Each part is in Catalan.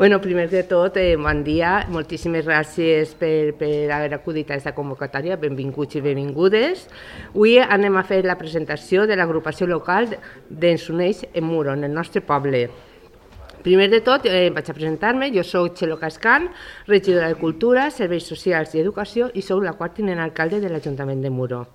Primer de tot, bon dia. Moltíssimes gràcies per haver acudit a aquesta convocatòria. Benvinguts i benvingudes. Avui anem a fer la presentació de l'agrupació local d'Ens Uneix en Muro, en el nostre poble. Primer de tot, vaig a presentar-me. Jo soc Txelo Cascan, regidora de Cultura, Serveis Socials i Educació i soc la quart tinent alcalde de l'Ajuntament de Muro.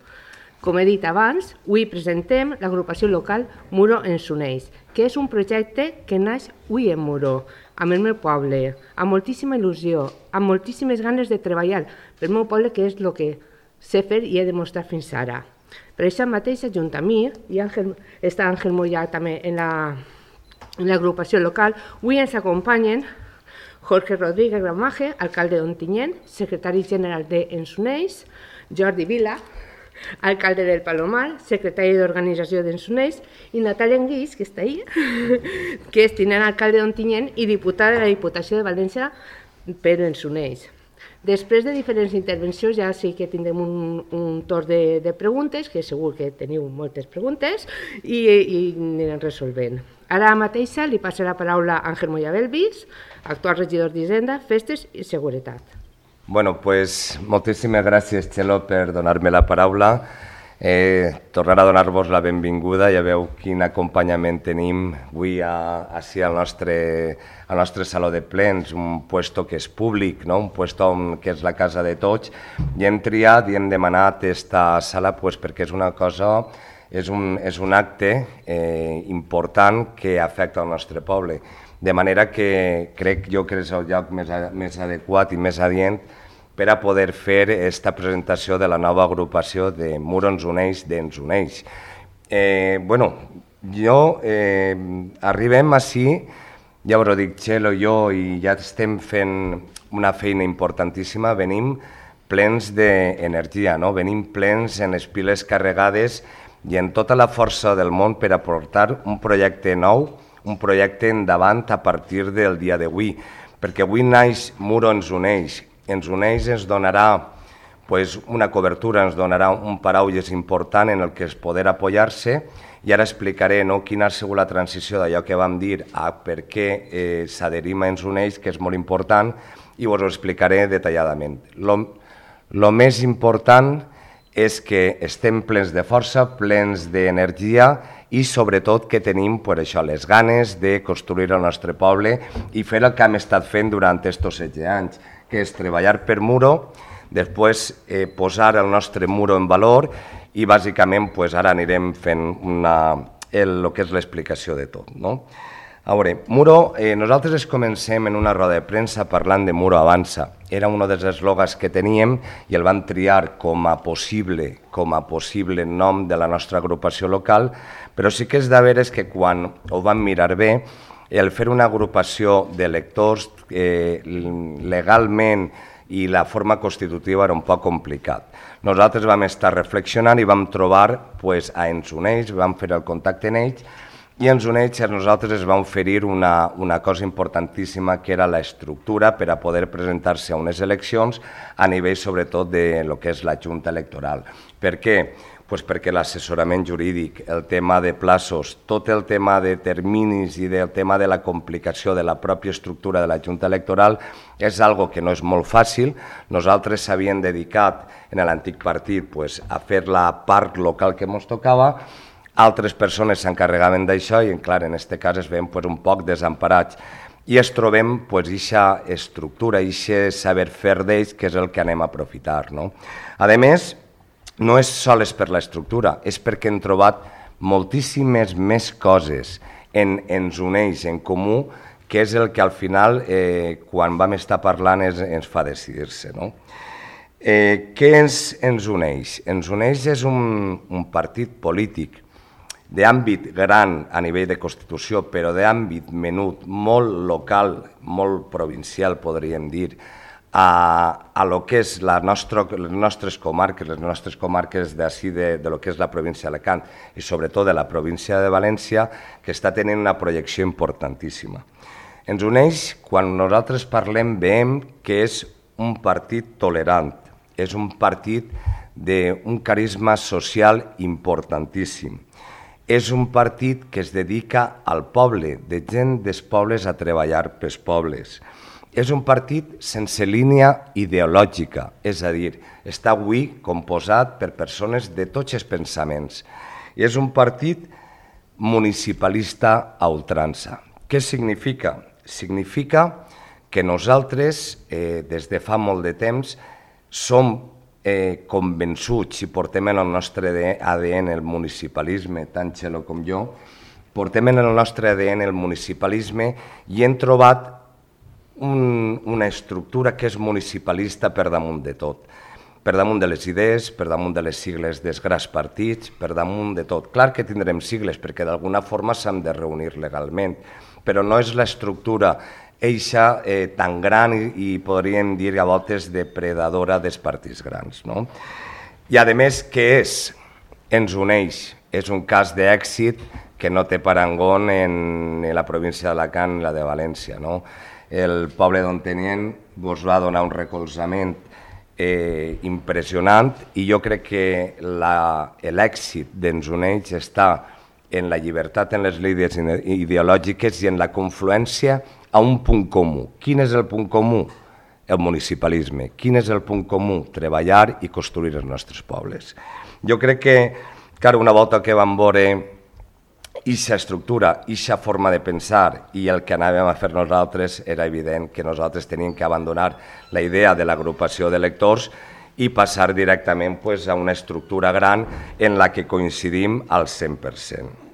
Com he dit abans, avui presentem l'agrupació local Muro Ens Uneix, que és un projecte que naix avui en Muro, amb el meu poble, amb moltíssima il·lusió, amb moltíssimes ganes de treballar pel meu poble, que és el que sé fer i he demostrat fins ara. Per això mateix, junt a mi, i està Àngel Mollà també en l'agrupació local, avui ens acompanyen Jorge Rodríguez Gramaje, alcalde d'Ontinyent, secretari general d'Ens Uneix, Jordi Vila, alcalde del Palomar, secretari d'Organització d'Ens Uneix, i Natàlia Enguix, que està ahí, que és tinent alcalde d'Ontinyent i diputada de la Diputació de València per Ens Uneix. Després de diferents intervencions ja sí que tindrem un torn de preguntes, que segur que teniu moltes preguntes, i anirem resolvent. Ara mateixa li passo la paraula a Àngel Mollà Belvis, actual regidor d'Hisenda, Festes i Seguretat. Pues moltíssimes gràcies, Txelo, per donar-me la paraula. Tornar a donar-vos la benvinguda. Ja veu quin acompanyament tenim avui ací al nostre saló de plens, un puesto que és públic, un puesto que és la casa de tots, i hem triat i hem demanat aquesta sala perquè és una cosa, és un acte important que afecta el nostre poble. De manera que crec jo que és el lloc més adequat i més adient per a poder fer aquesta presentació de la nova agrupació de Muro Ens Uneix d'Ens Uneix. Arribem ací, ja us ho dic, Txelo i jo, i ja estem fent una feina importantíssima, venim plens d'energia, venim plens en les piles carregades i en tota la força del món per aportar un projecte nou, un projecte endavant a partir del dia d'avui, perquè avui naix Muro Ens Uneix. Ens Uneix ens donarà una cobertura, ens donarà un paraigües important en el que es poder apoyar-se, i ara explicaré quina ha sigut la transició d'allò que vam dir a per què s'adherim a Ens Uneix, que és molt important, i us ho explicaré detalladament. El més important és que estem plens de força, plens d'energia i sobretot que tenim les ganes de construir el nostre poble i fer el que hem estat fent durant aquests 16 anys, que és treballar per Muro, després posar el nostre Muro en valor i bàsicament ara anirem fent el que és l'explicació de tot. A veure, Muro, nosaltres comencem en una roda de premsa parlant de Muro Avança. Era un dels eslògans que teníem i el vam triar com a possible nom de la nostra agrupació local, però sí que és de veres que quan ho vam mirar bé, el fer una agrupació d'electors legalment i la forma constitutiva era un poc complicat. Nosaltres vam estar reflexionant i vam trobar a Ens Uneix, vam fer el contacte en ells, i Ens Uneix a nosaltres es va oferir una cosa importantíssima, que era l'estructura per a poder presentar-se a unes eleccions a nivell sobretot de lo que és la Junta Electoral. Per què? Perquè l'assessorament jurídic, el tema de plaços, tot el tema de terminis i el tema de la complicació de la pròpia estructura de la Junta Electoral és algo que no és molt fàcil. Nosaltres s'havíem dedicat en l'antic partit a fer la part local que ens tocava, altres persones s'encarregaven d'això i, clar, en aquest cas es veiem un poc desemparats. I es trobem aquesta estructura, aquest saber fer d'ells, que és el que anem a aprofitar. A més, no és sols per l'estructura, és perquè hem trobat moltíssimes més coses en Ens Uneix en comú, que és el que al final, quan vam estar parlant, ens fa decidir-se. Què és Ens Uneix? Ens Uneix és un partit polític d'àmbit gran a nivell de Constitució, però d'àmbit menut, molt local, molt provincial, podríem dir, a lo que és les nostres comarques d'ací, de lo que és la província d'Alacant i sobretot de la província de València, que està tenint una projecció importantíssima. Ens Uneix, quan nosaltres parlem, veiem que és un partit tolerant, és un partit d'un carisma social importantíssim. és un partit que es dedica al poble, de gent dels pobles a treballar pels pobles. És un partit sense línia ideològica, és a dir, està avui composat per persones de tots els pensaments. I és un partit municipalista a ultrança. Què significa? Significa que nosaltres, des de fa molt de temps, som convençuts i portem en el nostre ADN el municipalisme, tant Txelo com jo, portem en el nostre ADN el municipalisme i hem trobat una estructura que és municipalista per damunt de tot. Per damunt de les idees, per damunt de les sigles dels grans partits, per damunt de tot. Clar que tindrem sigles perquè d'alguna forma s'han de reunir legalment, però no és l'estructura eixa tan gran i podríem dir a voltes depredadora dels partits grans. I a més, què és? Ens uneix. És un cas d'èxit que no té parangó en la província d'Alacant i la de València. El poble d'Ontinyent vos va donar un recolzament impressionant i jo crec que l'èxit d'Ens Uneix està en la llibertat en les línies ideològiques i en la confluència a un punt comú. Quin és el punt comú? El municipalisme. Quin és el punt comú? Treballar i construir els nostres pobles. Jo crec que, una volta que vam veure aquesta estructura, aquesta forma de pensar i el que anàvem a fer nosaltres, era evident que nosaltres teníem que abandonar la idea de l'agrupació d'electors i passar directament a una estructura gran en la que coincidim al 100%.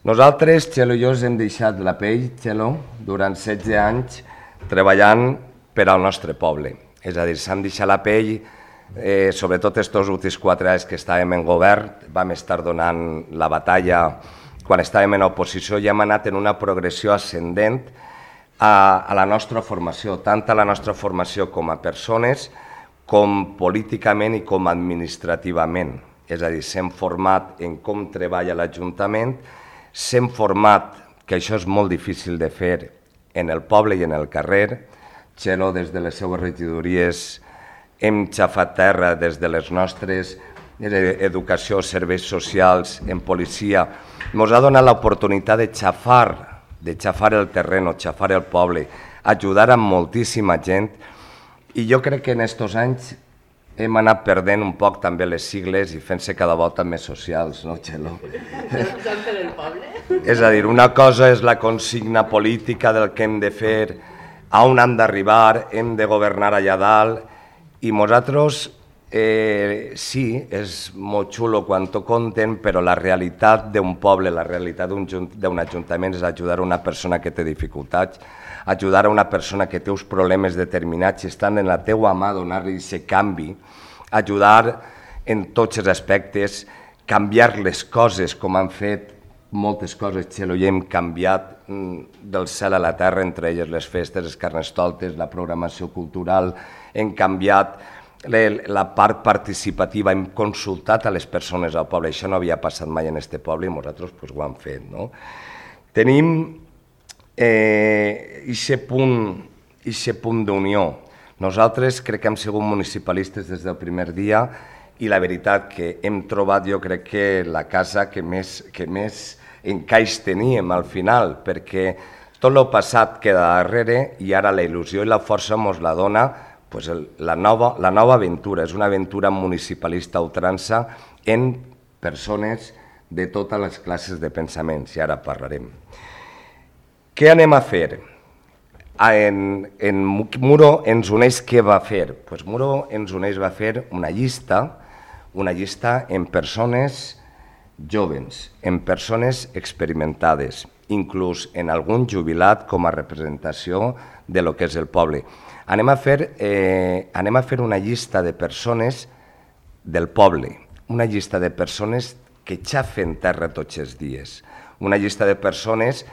Nosaltres, Txelo i jo, hem deixat la pell, Txelo, durant 16 anys treballant per al nostre poble. És a dir, s'han deixat la pell, sobretot aquests últims 4 anys que estàvem en govern, vam estar donant la batalla quan estàvem en oposició i hem anat en una progressió ascendent a la nostra formació, tant a la nostra formació com a persones, com políticament i com administrativament. És a dir, s'hem format en com treballa l'Ajuntament, s'hem format, que això és molt difícil de fer, en el poble i en el carrer. Txelo, des de les seues regidories, hem xafat terra des de les nostres educació, serveis socials, en policia. Ens ha donat l'oportunitat de xafar el terreny, xafar el poble, ajudar a moltíssima gent i jo crec que en aquests anys hem anat perdent un poc també les sigles i fent-se cada volta més socials, no, Txelo? És a dir, una cosa és la consigna política del que hem de fer, on hem d'arribar, hem de governar allà dalt, i nosaltres sí, és molt xulo quan t'ho conten, però la realitat d'un poble, la realitat d'un ajuntament és ajudar a una persona que té dificultats, ajudar a una persona que té uns problemes determinats i estan en la teua mà donar-li aquest canvi, ajudar en tots els aspectes, canviar les coses com han fet moltes coses, Txelo, i hem canviat del cel a la terra, entre elles les festes, els carnestoltes, la programació cultural, hem canviat la part participativa, hem consultat a les persones al poble, això no havia passat mai en aquest poble i nosaltres ho hem fet. Tenim aquest punt d'unió. Nosaltres crec que hem sigut municipalistes des del primer dia i la veritat que hem trobat, jo crec que la casa que més encaix teníem al final, perquè tot el passat queda darrere i ara la il·lusió i la força ens la dona la nova aventura. És una aventura municipalista a ultrança en persones de totes les classes de pensaments, i ara parlarem. Què anem a fer? En Muro Ens Uneix què va fer? Muro Ens Uneix va fer una llista en persones jovens, en persones experimentades, inclús en algun jubilat com a representació de lo que és el poble. Anem a fer una llista de persones del poble, una llista de persones que xafen terra tots els dies, una llista de persones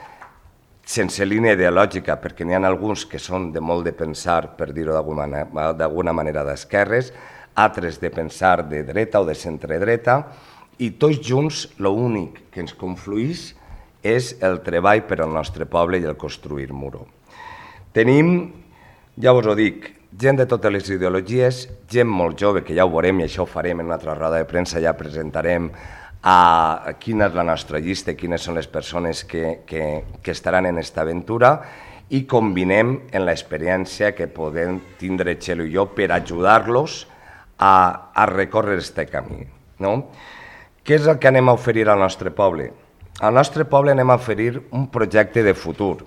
sense línia ideològica, perquè n'hi ha alguns que són de molt de pensar, per dir-ho d'alguna manera, d'esquerres, altres de pensar de dreta o de centre-dreta, i tots junts l'únic que ens confluïx és el treball per al nostre poble i el construir Muro. Tenim, ja us ho dic, gent de totes les ideologies, gent molt jove, que ja ho veurem i això ho farem en una altra roda de premsa, ja presentarem a quina és la nostra llista, quines són les persones que estaran en aquesta aventura i combinem en l'experiència que podem tindre Txelo i jo per ajudar-los a recórrer aquest camí. Què és el que anem a oferir al nostre poble? Al nostre poble anem a oferir un projecte de futur.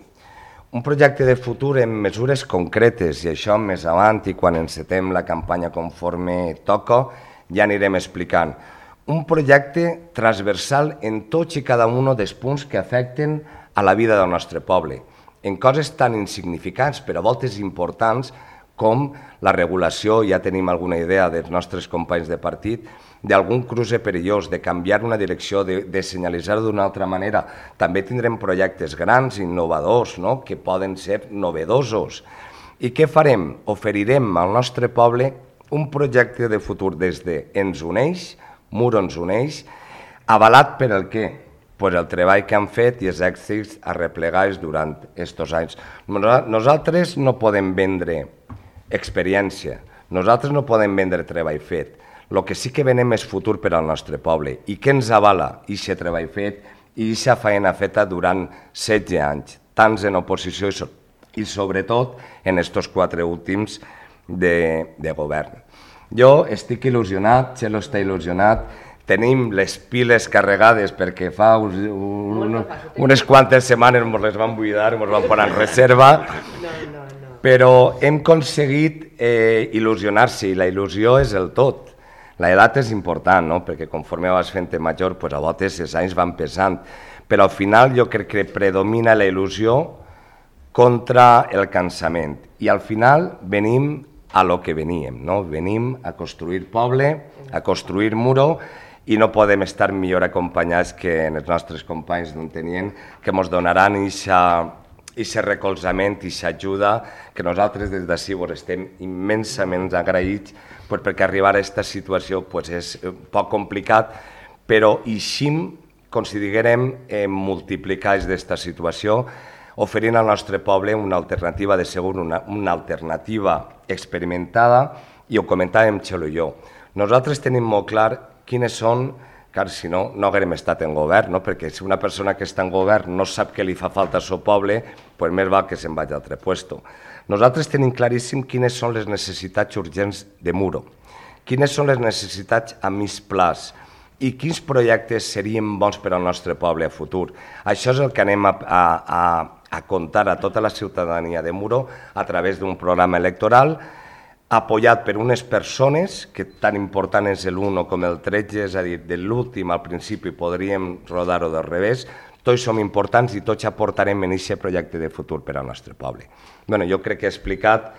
Un projecte de futur amb mesures concretes, i això més avant i quan encetem la campanya conforme toca, ja anirem explicant. Un projecte transversal en tots i cada un dels punts que afecten a la vida del nostre poble, en coses tan insignificants però a voltes importants com la regulació, ja tenim alguna idea dels nostres companys de partit, d'algun cruce perillós, de canviar una direcció, de senyalitzar-ho d'una altra manera. També tindrem projectes grans, innovadors, que poden ser novedosos. I què farem? Oferirem al nostre poble un projecte de futur des de Ens Uneix, Muro Ens Uneix, avalat per el què? Pues el treball que han fet i els èxits arreplegats durant aquests anys. Nosaltres no podem vendre experiència, nosaltres no podem vendre treball fet. El que sí que venem és futur per al nostre poble. I què ens avala aquest treball fet i aquesta feina feta durant 16 anys, tants en oposició i sobretot en aquests 4 últims de govern. Jo estic il·lusionat, Txelo està il·lusionat, tenim les piles carregades perquè fa unes quantes setmanes ens les van buidar, ens van posar en reserva, però hem aconseguit il·lusionar-se i la il·lusió és el tot. L'edat és important, perquè conforme vas fent major, a voltes els anys van pesant, però al final jo crec que predomina la il·lusió contra el cansament i al final venim a lo que veníem, venim a construir poble, a construir muro i no podem estar millor acompanyats que els nostres companys d'Ontinyent que ens donaran aquest recolzament i aquesta ajuda que nosaltres des d'ací estem immensament agraïts perquè arribar a aquesta situació és poc complicat, però així considerem multiplicar aquesta situació oferint al nostre poble una alternativa de segur, una alternativa experimentada, i ho comentàvem Txelo i jo. Nosaltres tenim molt clar quines són, car si no, no haguem estat en govern, perquè si una persona que està en govern no sap què li fa falta al seu poble, més val que se'n vagi a altre lloc. Nosaltres tenim claríssim quines són les necessitats urgents de Muro, quines són les necessitats a mig plaç i quins projectes serien bons per al nostre poble a futur. Això és el que anem a contar a tota la ciutadania de Muro a través d'un programa electoral apoyat per unes persones, que tan important és l'1 com el 13, és a dir, de l'últim al principi podríem rodar-ho del revés, tots som importants i tots aportarem en aquest projecte de futur per al nostre poble. Jo crec que he explicat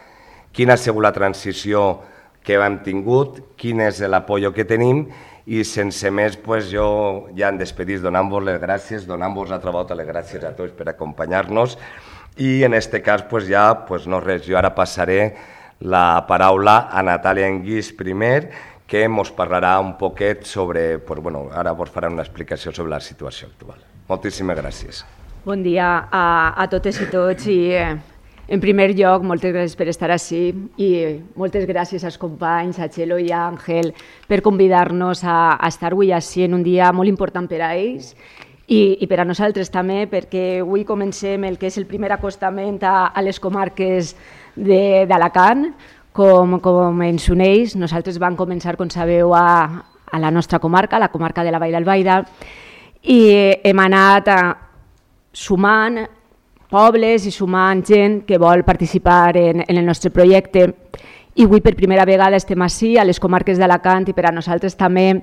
quina ha sigut la transició que hem tingut, quin és l'apoyo que tenim i sense més jo ja em despedís donant-vos les gràcies, donant-vos altra volta les gràcies a tots per acompanyar-nos i en aquest cas ja no res, jo ara passaré la paraula a Natàlia Enguix primer, que ens parlarà un poquet sobre, ara vos farà una explicació sobre la situació actual. Moltíssimes gràcies. Bon dia a totes i tots i en primer lloc moltes gràcies per estar ací i moltes gràcies als companys, a Txelo i a Àngel per convidar-nos a estar avui ací en un dia molt important per a ells i per a nosaltres també perquè avui comencem el que és el primer acostament a les comarques d'Alacant com ens uneix. Nosaltres vam començar, com sabeu, a la nostra comarca, la comarca de la Vall d'Albaida, i hem anat sumant pobles i sumant gent que vol participar en el nostre projecte. I avui per primera vegada estem ací a les comarques d'Alacant i per a nosaltres també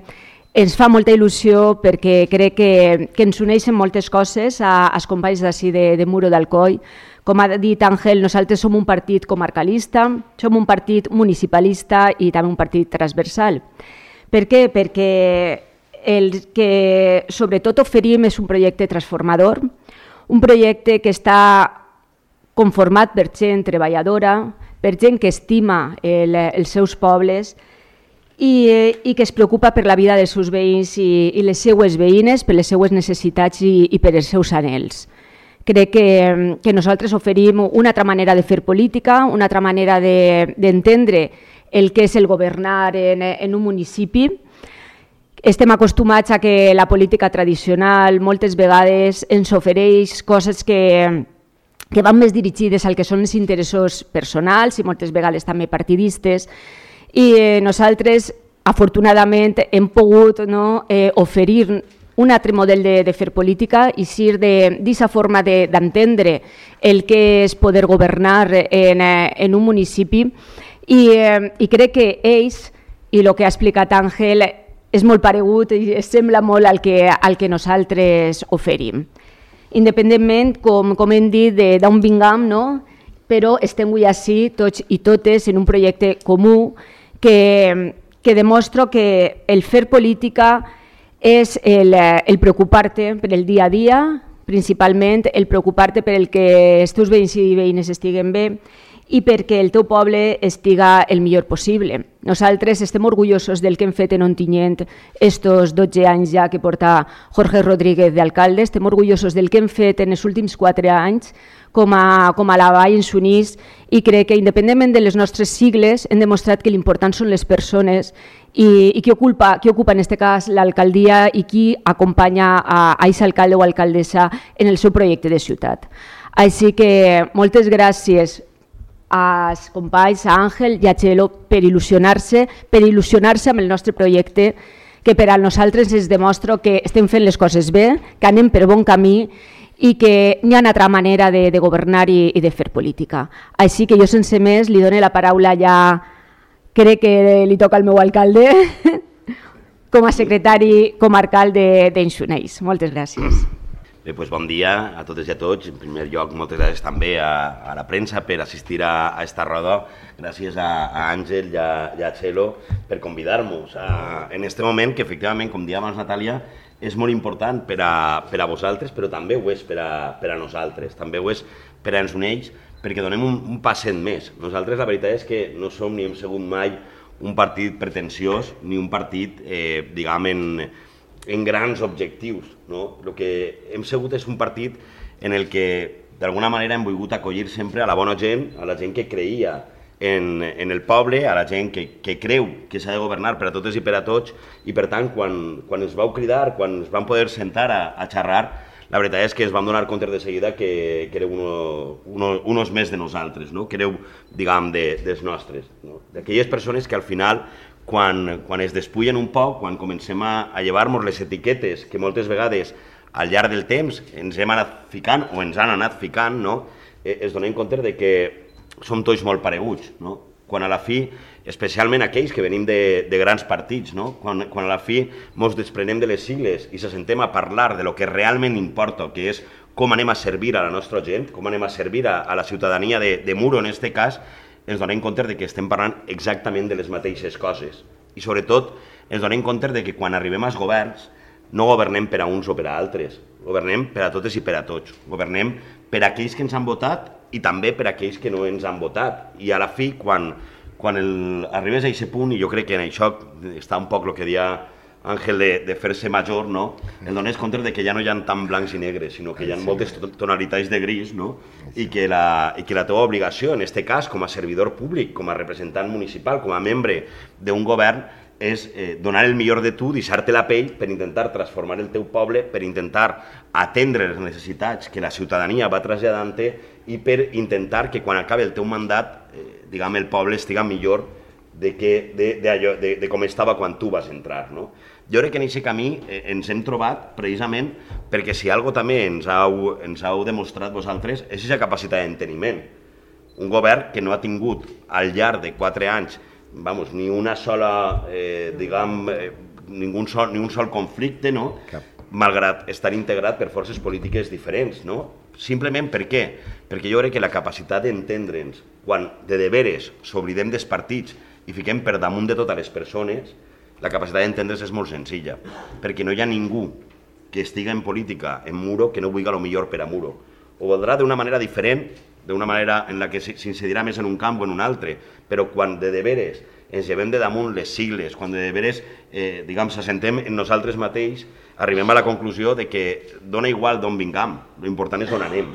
ens fa molta il·lusió perquè crec que ens uneixen moltes coses als companys d'ací de Muro d'Alcoi. Com ha dit Àngel, nosaltres som un partit comarcalista, som un partit municipalista i també un partit transversal. Per què? Perquè el que sobretot oferim és un projecte transformador, un projecte que està conformat per gent treballadora, per gent que estima els seus pobles i que es preocupa per la vida dels seus veïns i les seues veïnes, per les seues necessitats i per els seus anhels. Crec que nosaltres oferim una altra manera de fer política, una altra manera d'entendre el que és el governar en un municipi, Estem acostumats a que la política tradicional moltes vegades ens ofereix coses que van més dirigides al que són els interessos personals i moltes vegades també partidistes, i nosaltres afortunadament hem pogut oferir un altre model de fer política i ser d'aquesta forma d'entendre el que és poder governar en un municipi, i crec que ells, i el que ha explicat Àngel, és molt paregut i sembla molt al que nosaltres oferim. Independentment, com hem dit, d'on vingam, però estem avui ací tots i totes en un projecte comú que demostra que el fer política és el preocupar-te per el dia a dia, principalment el preocupar-te per el que els teus veïns i veïnes estiguen bé i perquè el teu poble estiga el millor possible. Nosaltres estem orgullosos del que hem fet en Ontinyent estos 12 anys ja que porta Jorge Rodríguez d'alcalde, estem orgullosos del que hem fet en els últims 4 anys com a la Vall en Sunís, i crec que independentment de les nostres sigles hem demostrat que l'important són les persones i qui ocupa en aquest cas l'alcaldia i qui acompanya a aquest alcalde o alcaldessa en el seu projecte de ciutat. Així que moltes gràcies als companys, a Àngel i a Txelo, per il·lusionar-se amb el nostre projecte, que per a nosaltres ens demostra que estem fent les coses bé, que anem per bon camí i que n'hi ha una altra manera de governar i de fer política. Així que jo sense més li dono la paraula ja, crec que li toca al meu alcalde, com a secretari comarcal d'Enxuneix. Moltes gràcies. Bé, doncs bon dia a totes i a tots. En primer lloc, moltes gràcies també a la premsa per assistir a esta roda. Gràcies a Àngel i a Txelo per convidar-nos en aquest moment que, efectivament, com dia abans Natàlia, és molt important per a vosaltres, però també ho és per a nosaltres, també ho és per a Enxuneix, perquè donem un passet més. Nosaltres la veritat és que no som ni hem sigut mai un partit pretensiós ni un partit, diguem, en grans objectius. El que hem sigut és un partit en el que d'alguna manera hem volgut acollir sempre a la bona gent, a la gent que creia en el poble, a la gent que creu que s'ha de governar per a totes i per a tots, i per tant quan ens vau cridar, quan ens vam poder sentar a xerrar, la veritat és que ens vam donar compte de seguida que éreu uns més de nosaltres, que éreu, diguem, dels nostres, d'aquelles persones que al final, quan es despullen un poc, quan comencem a llevar-nos les etiquetes que moltes vegades al llarg del temps ens hem anat ficant o ens han anat ficant, es donem compte que som tots molt pareguts. Quan a la fi, especialment aquells que venim de grans partits, quan a la fi ens desprenem de les sigles i se sentem a parlar de lo que realment importa, que és com anem a servir a la nostra gent, com anem a servir a la ciutadania de Muro, en aquest cas, ens donem compte que estem parlant exactament de les mateixes coses. I sobretot ens donem compte que quan arribem als governs no governem per a uns o per a altres, governem per a totes i per a tots, governem per a aquells que ens han votat i també per a aquells que no ens han votat. I a la fi, quan arribes a aquest punt, i jo crec que en això està un poc el que deia Àngel de fer-se major, el dones compte que ja no hi ha tant blancs i negres, sinó que hi ha moltes tonalitats de gris, i que la teva obligació, en aquest cas, com a servidor públic, com a representant municipal, com a membre d'un govern, és donar el millor de tu, deixar-te la pell per intentar transformar el teu poble, per intentar atendre les necessitats que la ciutadania va traslladant-te i per intentar que quan acabi el teu mandat, diguem, el poble estiga millor de com estava quan tu vas entrar. Jo crec que en aquest camí ens hem trobat precisament perquè si alguna cosa també ens heu demostrat vosaltres és aquesta capacitat d'enteniment. Un govern que no ha tingut al llarg de 4 anys ni una sola, diguem, ni un sol conflicte, malgrat estar integrat per forces polítiques diferents. Simplement per què? Perquè jo crec que la capacitat d'entendre'ns, quan de deberes s'oblidem dels partits i fiquem per damunt de totes les persones, la capacitat d'entendre's és molt senzilla, perquè no hi ha ningú que estiga en política en Muro que no vulgui el millor per a Muro. Ho voldrà d'una manera diferent, d'una manera en la que s'incidirà més en un camp o en un altre, però quan de deberes ens llevem de damunt les sigles, quan de deberes s'assentem en nosaltres mateix, arribem a la conclusió de que dona igual d'on vingam, l'important és on anem.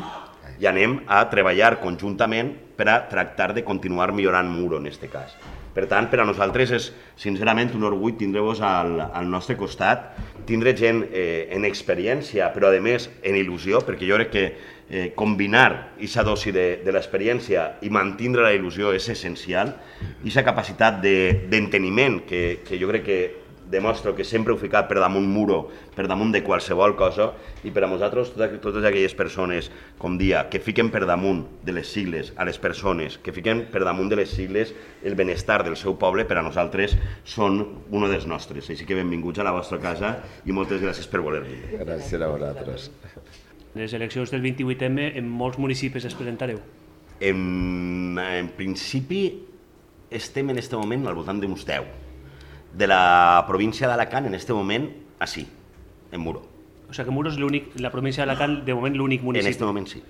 I anem a treballar conjuntament per a tractar de continuar millorant Muro, en aquest cas. Per tant, per a nosaltres és sincerament un orgull tindre-vos al nostre costat, tindre gent en experiència, però a més en il·lusió, perquè jo crec que combinar aquesta dosi de l'experiència i mantenir la il·lusió és essencial, i aquesta capacitat d'enteniment que jo crec que demostro que sempre heu ficat per damunt muro, per damunt de qualsevol cosa, i per a nosaltres, totes aquelles persones, com dia, que fiquen per damunt de les sigles a les persones, que fiquen per damunt de les sigles el benestar del seu poble, per a nosaltres són un dels nostres. Així que benvinguts a la vostra casa i moltes gràcies per voler venir. Gràcies a vosaltres. Les eleccions del 28M en molts municipis es presentareu? En principi estem en aquest moment al voltant d'uns 10. De la província d'Alacant, en aquest moment, així, en Muro. O sigui que Muro és la província d'Alacant, de moment, l'únic municipi. En aquest moment, sí.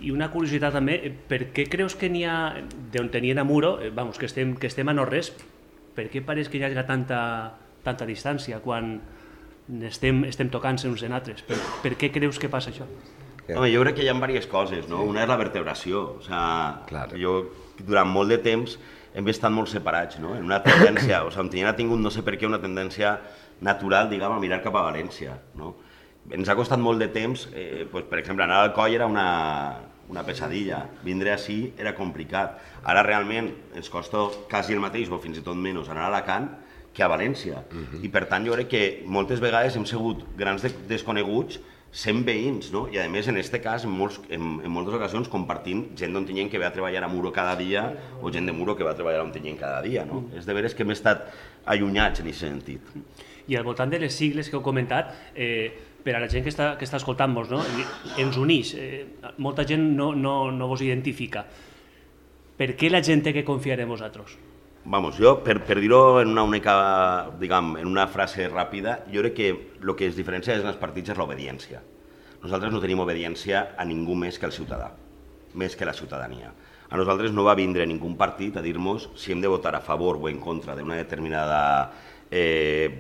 I una curiositat també, per què creus que n'hi ha, d'on tenien a Muro, vamos, que estem a no-res, per què pareix que hi hagi tanta distància quan estem tocant-se uns en altres? Per què creus que passa això? Home, jo crec que hi ha diverses coses, no? Una és la vertebració. O sigui, jo durant molt de temps hem estat molt separats, no? En una tendència, o sigui, Ontinyent ha tingut, no sé per què, una tendència natural, diguem, a mirar cap a València, no? Ens ha costat molt de temps, per exemple, anar al Coll era una pesadilla, vindre així era complicat. Ara realment ens costa quasi el mateix, o fins i tot menys, anar a Alacant que a València. I per tant jo crec que moltes vegades hem sigut grans desconeguts sent veïns, no? I a més en aquest cas, en moltes ocasions, compartint gent d'Ontinyent que ve a treballar a Muro cada dia o gent de Muro que va a treballar a Ontinyent cada dia, no? És de veres que hem estat allunyats en aquest sentit. I al voltant de les sigles que heu comentat, per a la gent que està escoltant-vos, no? Ens uneix, molta gent no vos identifica. Per què la gent té que confiar en vosaltres? Vamos, jo, per dir-ho en una única, diguem, en una frase ràpida, jo crec que el que es diferencia en els partits és l'obediència. Nosaltres no tenim obediència a ningú més que al ciutadà, més que la ciutadania. A nosaltres no va vindre ningú partit a dir-nos si hem de votar a favor o en contra d'una determinada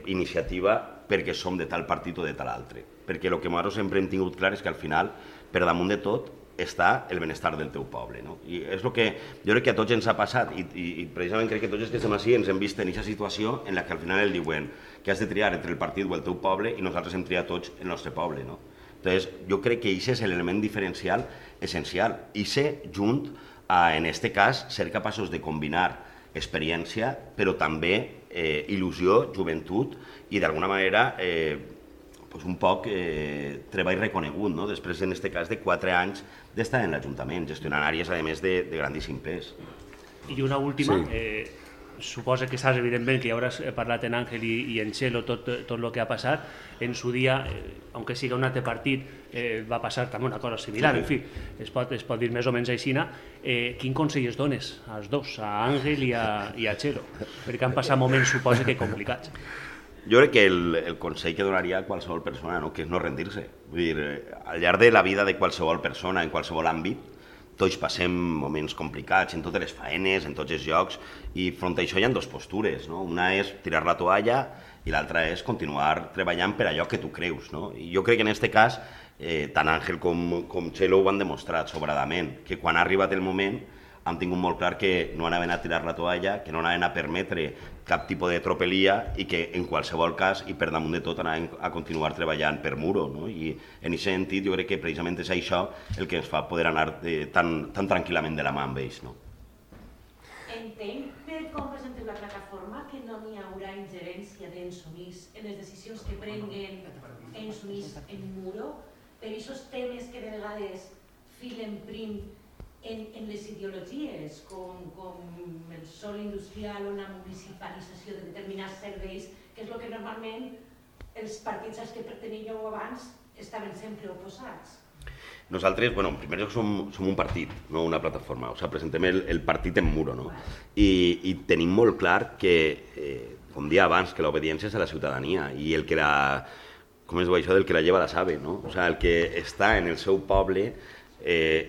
iniciativa perquè som de tal partit o de tal altre. Perquè el que nosaltres sempre hem tingut clar és que al final, per damunt de tot, està el benestar del teu poble, no? I és el que jo crec que a tots ens ha passat i precisament crec que tots els que estem així ens hem vist en aquesta situació en la que al final el diuen que has de triar entre el partit o el teu poble i nosaltres hem triat tots el nostre poble, no? Entonces, jo crec que aquest és l'element diferencial essencial i ser junt a, en aquest cas, ser capaços de combinar experiència però també il·lusió, joventut i d'alguna manera un poc treball reconegut, no? Després, en aquest cas, de 4 anys d'estar en l'Ajuntament, gestionant àrees, a més, de grandíssim pes. I una última, suposa que saps, evidentment, que ja hauràs parlat en Àngel i en Txelo tot el que ha passat. En su dia, aunque siga un altre partit, va passar també una cosa similar, en fi, es pot dir més o menys aixina. Quin consell es dones als dos, a Àngel i a Txelo? Perquè han passat moments, suposa que complicats. Jo crec que el consell que donaria a qualsevol persona, no? Que és no rendir-se. Vull dir, al llarg de la vida de qualsevol persona, en qualsevol àmbit, tots passem moments complicats en totes les faenes, en tots els llocs, i front a això hi ha dues postures, no? Una és tirar la toalla i l'altra és continuar treballant per allò que tu creus, no? I jo crec que en aquest cas, tant Àngel com Txelo ho han demostrat sobradament, que quan ha arribat el moment han tingut molt clar que no anaven a tirar la toalla, que no anaven a permetre cap tipus de tropelia i que en qualsevol cas i per damunt de tot anaven a continuar treballant per Muro, no? I en aquest sentit jo crec que precisament és això el que ens fa poder anar tan tranquil·lament de la mà amb ells, no? Entenc per com presenteu la plataforma que no n'hi haurà ingerència d'Ensonís en les decisions que prenguen Ensonís en Muro, per aquests temes que de vegades filen prim en les ideologies, com el sòl industrial o la municipalització de determinats serveis, que és el que normalment els partits als que perteníeu abans estaven sempre oposats. Nosaltres, bueno, en primer lloc som un partit, no una plataforma, o sigui, presentem el partit en Muro, no? I tenim molt clar que, com dia abans, que l'obediència és a la ciutadania i el que la, com es diu això, del que la lleva la sabe, no? O sigui, el que està en el seu poble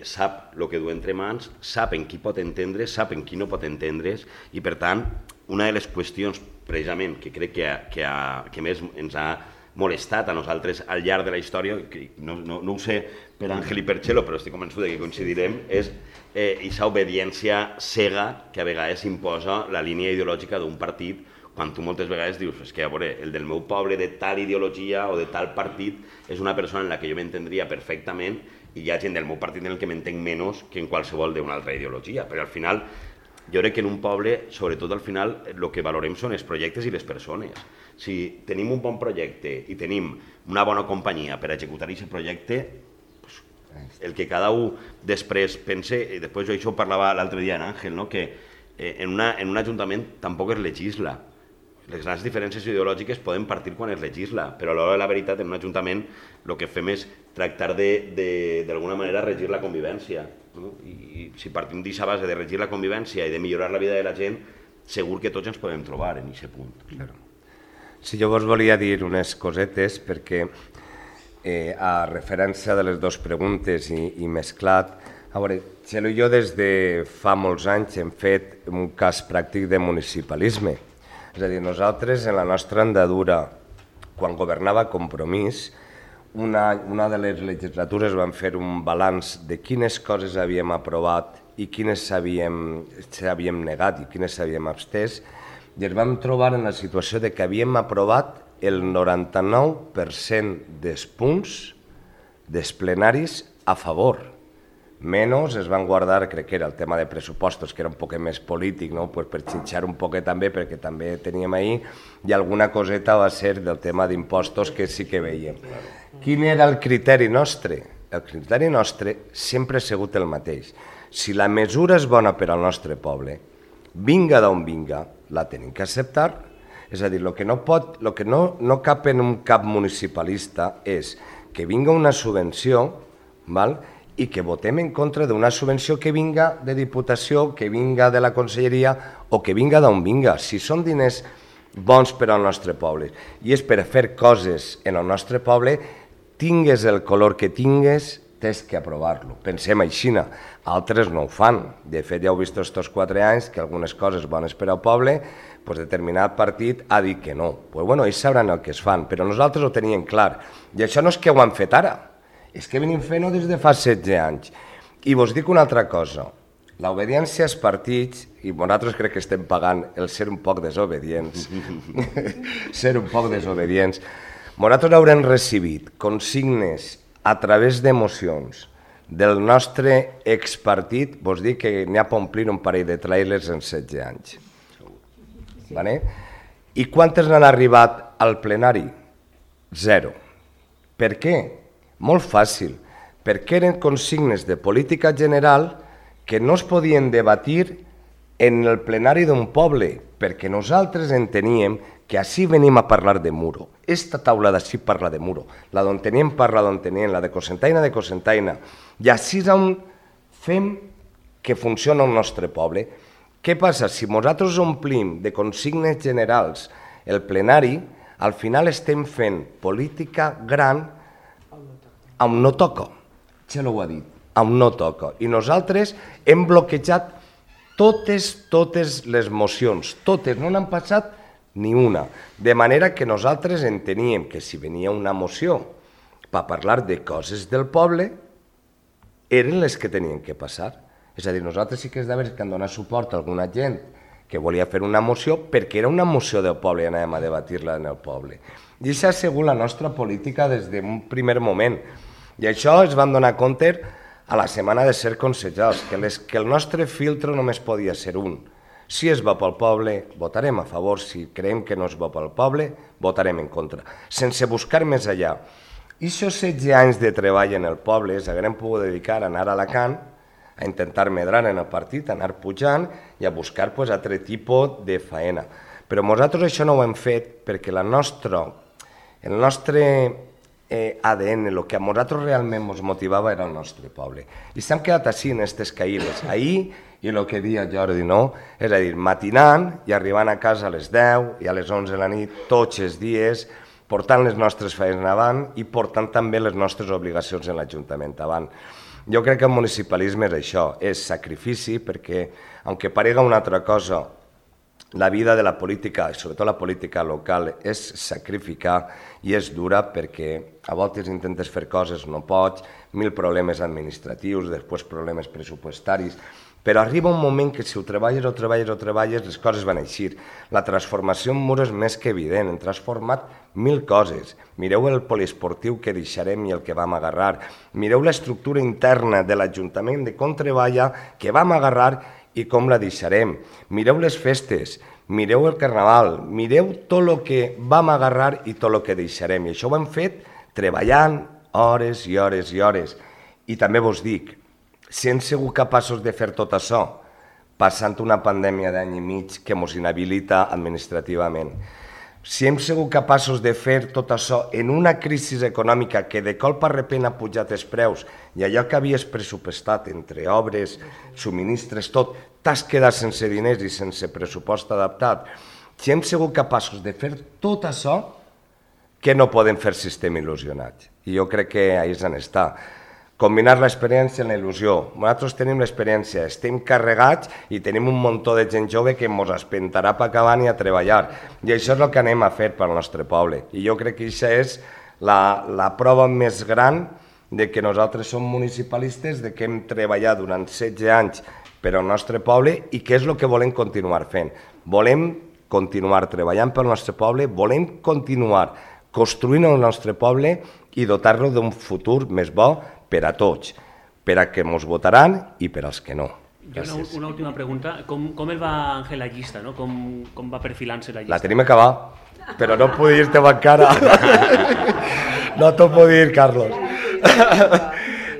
sap el que du entre mans, sap en qui pot entendre, sap en qui no pot entendre's i per tant una de les qüestions precisament que crec que més ens ha molestat a nosaltres al llarg de la història, que no ho sé per Àngel i per Txelo, però estic convençut que coincidirem, és aquesta obediència cega que a vegades imposa la línia ideològica d'un partit, quan tu moltes vegades dius, és que a veure, el del meu poble de tal ideologia o de tal partit és una persona en la que jo m'entendria perfectament i hi ha gent del meu partit en el que m'entenc menys que en qualsevol d'una altra ideologia, però al final jo crec que en un poble, sobretot al final, el que valorem són els projectes i les persones. Si tenim un bon projecte i tenim una bona companyia per executar aquest projecte, el que cada un després pense, i després jo això ho parlava l'altre dia en Àngel, que en un ajuntament tampoc es legisla. Les grans diferències ideològiques poden partir quan es legisla, però a l'hora de la veritat en un ajuntament el que fem és tractar d'alguna manera regir la convivència. I si partim d'aquesta base de regir la convivència i de millorar la vida de la gent, segur que tots ens podem trobar en aquest punt. Sí, jo vos volia dir unes cosetes perquè a referència de les dues preguntes i mesclat, a veure, Txelo i jo des de fa molts anys hem fet un cas pràctic de municipalisme. És a dir, nosaltres en la nostra andadura, quan governava Compromís, una de les legislatures vam fer un balanç de quines coses havíem aprovat i quines s'havíem negat i quines s'havíem abstès, i ens vam trobar en la situació de que havíem aprovat el 99% dels punts dels plenaris a favor. Menys es van guardar, crec que era el tema de pressupostos, que era un poc més polític, per xinxar un poc també, perquè també teníem ahir, i alguna coseta va ser del tema d'impostos que sí que veiem. Quin era el criteri nostre? El criteri nostre sempre ha sigut el mateix. Si la mesura és bona per al nostre poble, vinga d'on vinga, la tenim que acceptar. És a dir, el que no cap en un cap municipalista és que vinga una subvenció, i que votem en contra d'una subvenció que vinga de Diputació, que vinga de la Conselleria o que vinga d'on vinga. Si són diners bons per al nostre poble i és per fer coses en el nostre poble, tingues el color que tingues, tens que aprovar-lo. Pensem així, altres no ho fan. De fet, ja heu vist aquests 4 anys que algunes coses bones per al poble, determinat partit ha dit que no. Ells sabran el que es fan, però nosaltres ho teníem clar. I això no és que ho han fet ara, és que venim fent-ho des de fa 16 anys. I vos dic una altra cosa, l'obediència als partits, i nosaltres crec que estem pagant el ser un poc desobedients, nosaltres haurem recibit consignes a través d'emocions del nostre expartit, vos dic que n'hi ha per omplir un parell de trailers en 16 anys. I quantes n'han arribat al plenari? 0. Per què? Molt fàcil, perquè eren consignes de política general que no es podien debatir en el plenari d'un poble, perquè nosaltres enteníem que així venim a parlar de muro. Esta taula d'ací parla de muro, la d'on teníem parla d'on teníem, la de Cocentaina, i així és on fem que funciona el nostre poble. Què passa? Si nosaltres omplim de consignes generals el plenari, al final estem fent política gran on no toca. Txelo ho ha dit, on no toca. I nosaltres hem bloquejat totes les mocions, totes, no n'han passat ni una. De manera que nosaltres enteníem que si venia una moció per parlar de coses del poble, eren les que tenien que passar. És a dir, nosaltres sí que és de veres que han donat suport a alguna gent que volia fer una moció perquè era una moció del poble i anàvem a debatir-la en el poble. I això ha sigut la nostra política des d'un primer moment. I això es vam donar compte a la setmana de ser consellers, que el nostre filtre només podia ser un. Si és bo pel poble, votarem a favor. Si creiem que no és bo pel poble, votarem en contra. Sense buscar més allà. I aquests 16 anys de treball en el poble s'haguem pogut dedicar a anar a Alacant, a intentar medrar en el partit, a anar pujant i a buscar altre tipus de faena. Però nosaltres això no ho hem fet perquè el nostre ADN, el que a nosaltres realment ens motivava era el nostre poble. I s'han quedat així en aquestes caïdes. Ahir, i el que deia Jordi, és a dir, matinant i arribant a casa a les 10 i a les 11 de la nit, tots els dies, portant les nostres feines avant i portant també les nostres obligacions en l'Ajuntament avant. Jo crec que el municipalisme és això, és sacrifici, perquè, aunque parega una altra cosa, la vida de la política, i sobretot la política local, és sacrificar i és dura perquè a voltes intentes fer coses, no pots, 1000 problemes administratius, després problemes pressupostaris, però arriba un moment que si ho treballes, les coses van eixir. La transformació en Muro és més que evident, hem transformat 1000 coses. Mireu el poliesportiu que deixarem i el que vam agarrar. Mireu l'estructura interna de l'Ajuntament de com treballa, que vam agarrar i com la deixarem. Mireu les festes, mireu el carnaval, mireu tot el que vam agarrar i tot el que deixarem. I això ho hem fet treballant hores i hores i hores. I també vos dic, si hem sigut capaços de fer tot això, passant una pandèmia d'any i mig que ens inhabilita administrativament, si hem sigut capaços de fer tot això en una crisi econòmica que de cop a repent ha pujat els preus i allò que havies pressupostat entre obres, subministres, tot, t'has quedat sense diners i sense pressupost adaptat, si hem sigut capaços de fer tot això, què no podem fer si estem il·lusionats? I jo crec que ahí és on està. Combinar l'experiència amb la il·lusió. Nosaltres tenim l'experiència, estem carregats i tenim un muntó de gent jove que ens espentarà per acabar i a treballar. I això és el que anem a fer pel nostre poble. I jo crec que això és la prova més gran de que nosaltres som municipalistes, de que hem treballat durant 16 anys per al nostre poble i que és el que volem continuar fent. Volem continuar treballant pel nostre poble, volem continuar construint el nostre poble i dotar-lo d'un futur més bo per a tots, per a que ens votaran i per als que no. Una última pregunta. Com el va Ángel la llista? No? Com va perfilant-se la llista? La tenim acabada, però no puc dir-te encara. No t'ho puc dir, Carlos.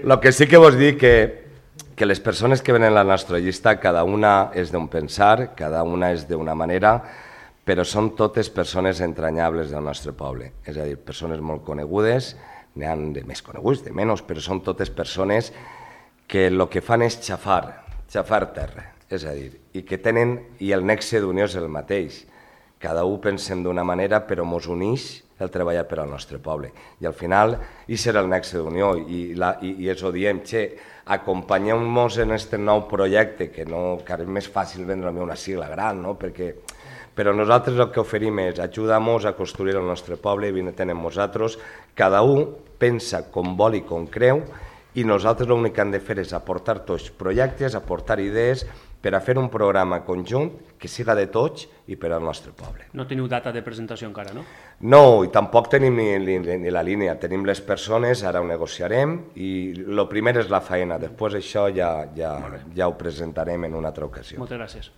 El que sí que vos dic que les persones que venen a la nostra llista, cada una és d'un pensar, cada una és d'una manera, però són totes persones entranyables del nostre poble. És a dir, persones molt conegudes, n'hi ha de més coneguts, de menys, però són totes persones que el que fan és xafar terra, és a dir, i que tenen, i el nexe d'unió és el mateix. Cada un pensem d'una manera, però ens uneix el treballar per al nostre poble. I al final, i serà el nexe d'unió, i ens ho diem, acompanyeu-nos en aquest nou projecte, que és més fàcil vendre una sigla gran, no? Però nosaltres el que oferim és ajudar-nos a construir el nostre poble, vine-te'n amb nosaltres, cada un pensa com vol i com creu, i nosaltres l'únic que hem de fer és aportar tots projectes, aportar idees, per a fer un programa conjunt que siga de tots i per al nostre poble. No teniu data de presentació encara, no? No, i tampoc tenim ni la línia, tenim les persones, ara ho negociarem, i el primer és la feina, després això ja ho presentarem en una altra ocasió. Moltes gràcies.